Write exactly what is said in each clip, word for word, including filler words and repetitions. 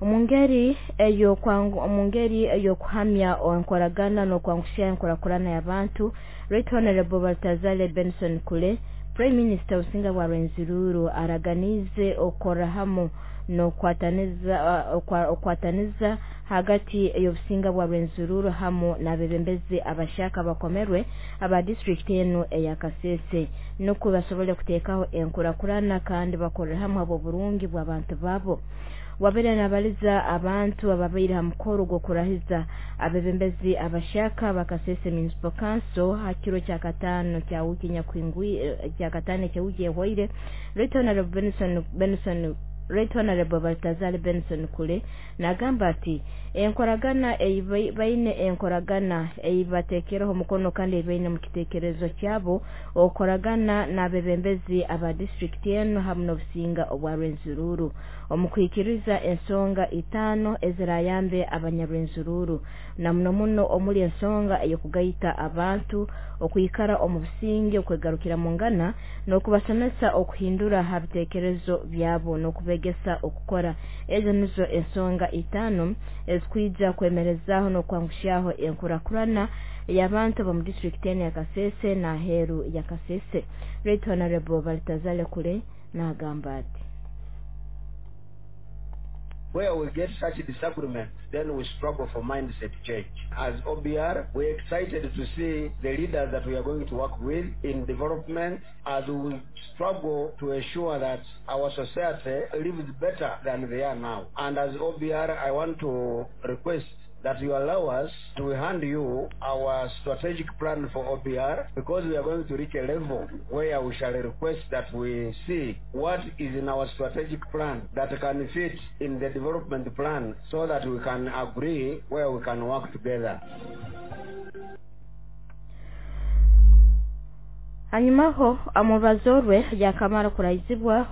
Omu ngeri ey'omu ngeri ey'okuhamya enkoragana n'okwanguhya enkurakurana y'abantu, Right Honorable Baltazar Benson Kule, Prime Minister Obusinga bwa Rwenzururu, araganiize okukorra hamu n'okukwataniza okukwataniza hagati y'obusinga bwa Rwenzururu hamu n'abebembezi abashyaka abakomerwe aba disitulikiti enu eya Kasese, nukwo basobole kuteekaho enkurakurana kandi bakorere hamu habw'oburungi bw'abantu baabo. Wabaire nabaliza abantu ababaire ha mukoro gw'okurahiza abebembezi abashyaka ba Kasese Municipal Council ha kiro kya kataano kya wiiki kya kataano eky'ewiiki ehwaire, Right Honorable Benson Benson Right Honorable Baltazar Benson Kule nagamba ati enkoragana ei baine, enkoragana ei bateekereho omukono kandi ei baine omu kiteekerezo kyabo, okukoragana n'abebembezi aba disitulikiti enu hamu n'obusinga obwa Rwenzururu omu kuhikiriza ensonga itaano ezirayambe abanyarwenzururu, na muno muno omuli ensonga ey'okugaita abantu, okwikara omu businge, okwegarukiramungana n'okubasomesa okuhindura ha biteekerezo byabo n'okubegesa okukora. Ezo nizo ensonga itaano ezikwija kwemerezaaho n'okwanguhyaho enkurakurana ey'abantu ab'omu disitulikiti enu ya Kasese n'aheeru ya Kasese. Right Honorable Baltazar Kule nagamba ati, Where we get such disagreements, then we struggle for mindset change. As O B R, we're excited to see the leaders that we are going to work with in development as we struggle to ensure that our society lives better than they are now. And as O B R, I want to request that you allow us to hand you our strategic plan for O B R, because we are going to reach a level where we shall request that we see what is in our strategic plan that can fit in the development plan so that we can agree where we can work together. Hanyumaho omu rubazo rwe yakamara kurahizibwa,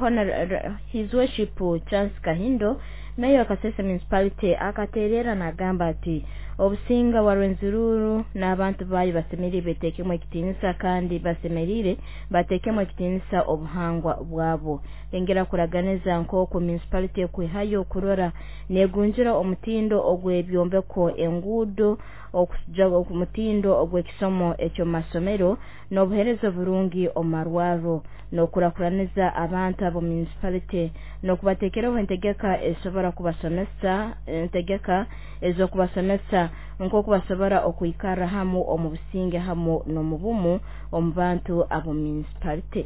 His Worship Chance Kahindo, Meya wa Kasese Municipality, akaterera nagamba ati obusinga bwa Rwenzururu n'abantu baayo basemeriire beteekemu ekitiinisa kandi basemeriire bateekemu ekitiinisa obuhangwa bwabo. Yongera kuraganiza nk'oku municipality ekwihayo kurora negunjura omutindo ogw'ebyombeko, enguudo, omutindo ogw'ekisomo eky'omu masomero n'obuheereza oburungi omu marwarro, n'okukurakuraniza abantu ab'omu municipality n'okubateekeraho entegeka ezisobora kubasomesa, entegeka ez'okubasomesa nk'oku basobora okwikarra hamu omu businge hamu n'omu bumu omu bantu ab'omu municipality.